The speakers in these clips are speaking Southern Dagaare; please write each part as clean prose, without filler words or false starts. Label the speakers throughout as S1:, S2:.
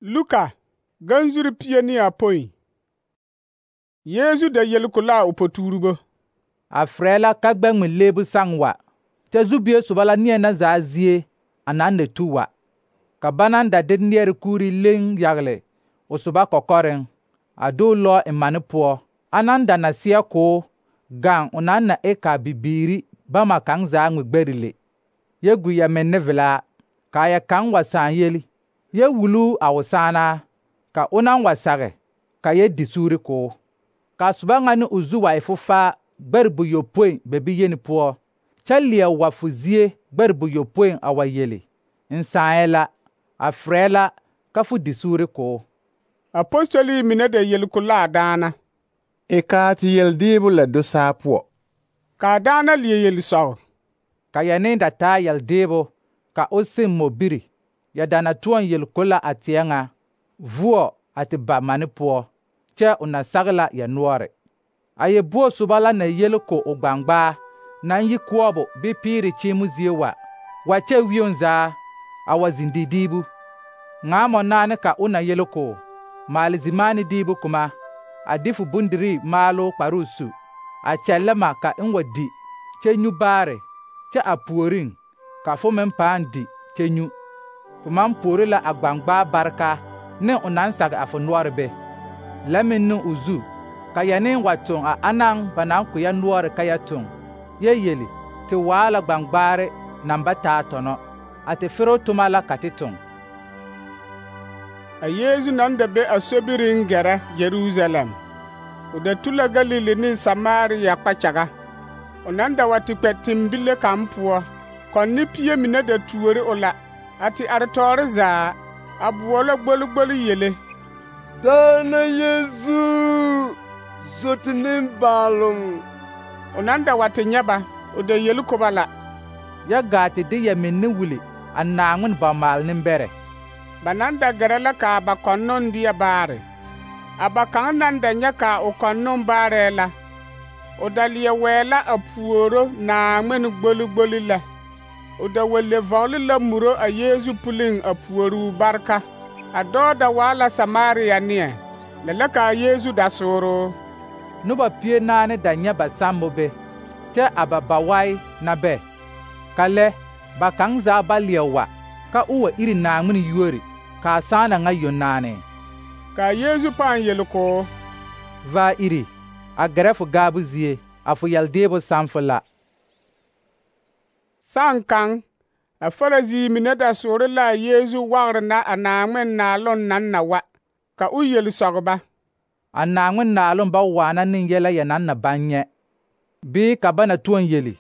S1: Luka ganzuri pie ne apoi. Yesu da yelkula o potuurebo.
S2: A frɛ la ka gbɛŋme leebu saŋ wa, kyɛ zubie soba la neɛ na zaa zie a naŋ na tu wa. Ka ba naŋ da de neɛre kuuri leŋ yagle o soba kɔkɔreŋ, a de o lɔ eŋ mane poɔ, anaŋ da na seɛ koo gaŋ o naŋ na e ka bibiiri bama kaŋ zaa ŋmɛ gbɛre le. Yɛ gu ya menne velaa, ka ya kaŋ wa sãã yeli, yɛ wulu a o sããnaa, ka o naŋ wa sage, ka yɛ di suuri koo. Ka soba ŋa ne o zu wa e fofaa gbɛre buyopoi bɛ bi yeni poɔ, kyɛ leɛ wa fo zie gbɛre buyopoi a wa yeli, n sããyɛ la, a frɛ la ka fo di suuri koo.
S1: Apostoli mine da yelkulaa daana.
S3: E kaa ti yeldeebo la do saa poɔ.
S1: Kaa daana leɛ yeli sɔg.
S2: Ka ya ne da taa yeldeebo, ka o seŋ mobiri, ya da na toɔŋ yelkola a teɛ ŋa, vuo a te ba mane poɔ, kyɛ o na sage la ya noɔre. A yɛ buo soba la na yel ko o gbangbaa, naŋ yi koɔbo bɩ piiri kyeemo zie wa kyɛ wioŋ zaa, a wa zeŋ di diibu. Ŋa mɔnaane ka o na yel ko, maale zimaane diibu kuma, a de fo bondirii maaloo kparoo su, a kyɛllɛ ma ka n wa di, kyɛ nyu baare, kyɛ a puoriŋ, ka fo meŋ pãã di kyɛ nyu. Fo maŋ puori la a gbangbaa bareka ne o naŋ sage a fo noɔre be. Lɛ meŋ ne o zu, ka ya ne wa toŋ a anaŋ ba naŋ kpɛ ya noɔre ka ya toŋ, yɛ yeli, te waa la gbangbaare naŋ ba taa tɔnɔ, a te fero toma la ka te toŋ.
S1: A Yesu naŋ da be a sobiriŋ gɛrɛ Jerusalem. O da tu la Galili ne Samaria kpakyaga. O naŋ da wa te kpɛ tembile kaŋ poɔ, kɔnne pie mine da tuori o la, a te are tɔɔre zaa, a boɔlɔ gboli yele.
S4: Daana Yesu, zoti nimbaaloŋ.
S1: O naŋ da wa te nyɛ ba, o da yeli ko ba la.
S2: Yɛ gaa te de ya minne wuli a Naaŋmen bɔmaale nembɛrɛ.
S1: Ba naŋ da gɛrɛ la kaa ba kɔnnoŋ deɛ baare. A ba kaŋ naŋ da nyɛ kaa o kɔnnoŋ baarɛɛ la, o da leɛ wɛɛ la a puoro Naaŋmen gboli lɛ. O da wa le vɔgele la muro a Yesu puliŋ a puoruu bareka. A dɔɔ da waa la Samaria neɛ, lɛ la kaa Yesu da sooroo.
S2: Noba pie naane da nyɛ ba sammo be, kyɛ a ba bawai na bɛ. Ka lɛ, ba kaŋ zaa ba leɛ wa, ka o wa iri Naaŋmen yuori, kaa sãana ŋa yonaane.
S1: Kaa Yesu pãã yeli koo,
S2: va iri, a gɛrɛ fo gaabu zie, a fo yeldeebo sãn fo la.
S1: Sãn kaŋ, a Farisii mine da soore la a Yesu wagre na a Naaŋmen naaloŋ naŋ na wa, ka o yeli sɔg ba.
S2: A Naaŋmen naaloŋ ba waana ne yɛlɛ ya naŋ na baŋ nyɛ, bii ka ba na toɔŋ yeli,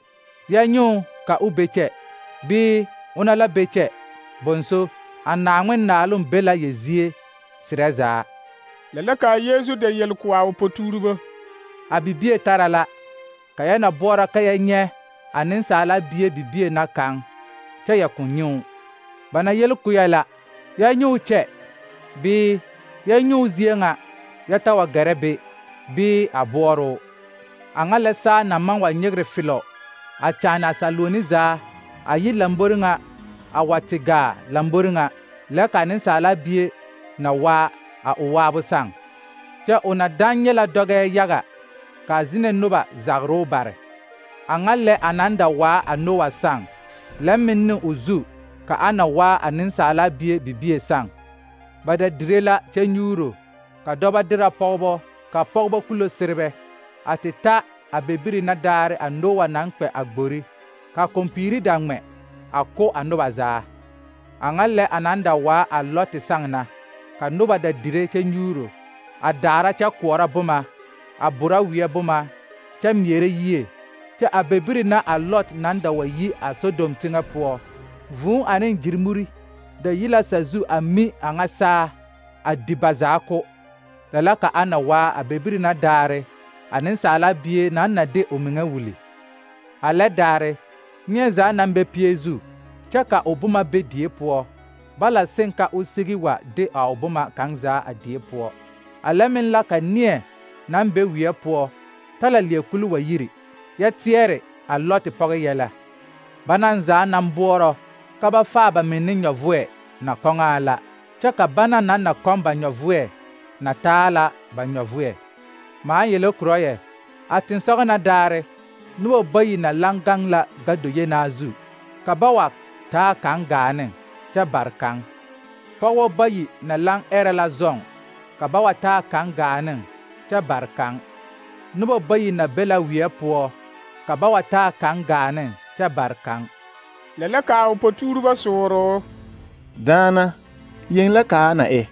S2: yɛ nyuu ka o be kyɛ, bii ona la be kyɛ, bonso, a Naaŋmen naaloŋ be la ya zie serɛ zaa.
S1: Lɛ la kaa Yesu da yeli ko a o potuurebo.
S2: A bibie tara la, ka yɛ na boɔrɔ ka yɛ nyɛ a nensaala bie bibie na kaŋ, kyɛ yɛ kõn nyuu. Ba na yel ko yɛ la, yɛ nyuu kyɛ, bii yɛ nyuu zie ŋa, yɛ ta wa gɛrɛ be, bii a boɔroo. A ŋa lɛ saa na maŋ wa nyegre filɔ, a kyaane a saluoni zaa, a yi lambori ŋa, a wa te gaa lambori ŋa, lɛ ka nensaala bie na waa a o waabo sãŋ. Kyɛ o na daŋ nyɛ la dɔgɛɛ yaga, kaa zine noba zagroo bare. A ŋa lɛ a naŋ da waa a Noa sãŋ, lɛ meŋ ne o zu, ka a na waa a nensaala bie bibie sãŋ. Ba da dire la kyɛ nyuuro, ka dɔbɔ dira pɔgebɔ, ka pɔgebɔ kulo serebɛ, a te ta a bebiri na daare a Noa naŋ kpɛ a gbori, ka kompiiri da ŋmɛ, a ko a noba zaa. A ŋa lɛ a naŋ da waa a Lɔte sãŋ na, ka noba da dire kyɛ nyuuro, a daara kyɛ koɔrɔ boma, a bora weɛ boma, kyɛ meɛrɛ yie, kyɛ a bebiri na a Lɔt naŋ da wa yi a Sodom teŋɛ poɔ. Vūū ane gyirmuri da yi la sazu a mi a ŋa saa, a di ba zaa ko. Lɛ la ka a na waa a bebiri na daare, a nensaala bie naŋ na de o meŋa wuli. A lɛ daare, neɛ zaa naŋ bɛ pie zu, kyɛ ka o boma be die poɔ, bala seŋ ka o sigi wa de a o boma kaŋ zaa a die poɔ. A lɛ meŋ la ka neɛ naŋ be weɛ poɔ, ta la leɛ kuli wa yiri, yɛ teɛre a Lɔte pɔge yɛlɛ. Ba naŋ zaa naŋ boɔrɔ ka ba faa ba meŋ ne nyɔvoɛ na kɔŋaa la, kyɛ ka bana naŋ na kɔm ba nyɔvʋɛ na taa la ba nyɔvʋɛ. Maa yele korɔ yɛ, a tensɔgɔ na daare, noba bayi na laŋ gaŋ la gado yenaa zu, ka ba wa taa kaŋ gaa ne kyɛ bare kaŋ. Pɔgebɔ bayi na laŋ ɛrɛ la zɔŋ, ka ba wa taa kaŋ gaa ne kyɛ bare kaŋ. Noba bayi na be la weɛ poɔ, ka ba wa taa kaŋ gaa ne kyɛ bare kaŋ.
S1: Lɛ la kaa o potuuribɔ sooro.
S3: Daana, yeŋ la kaa na e?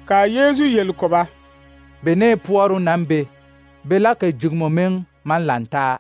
S1: Kaa Yeezu yel ko ba.
S2: Benee poɔroo naŋ be la ka jugemo meŋ maŋ lantaa.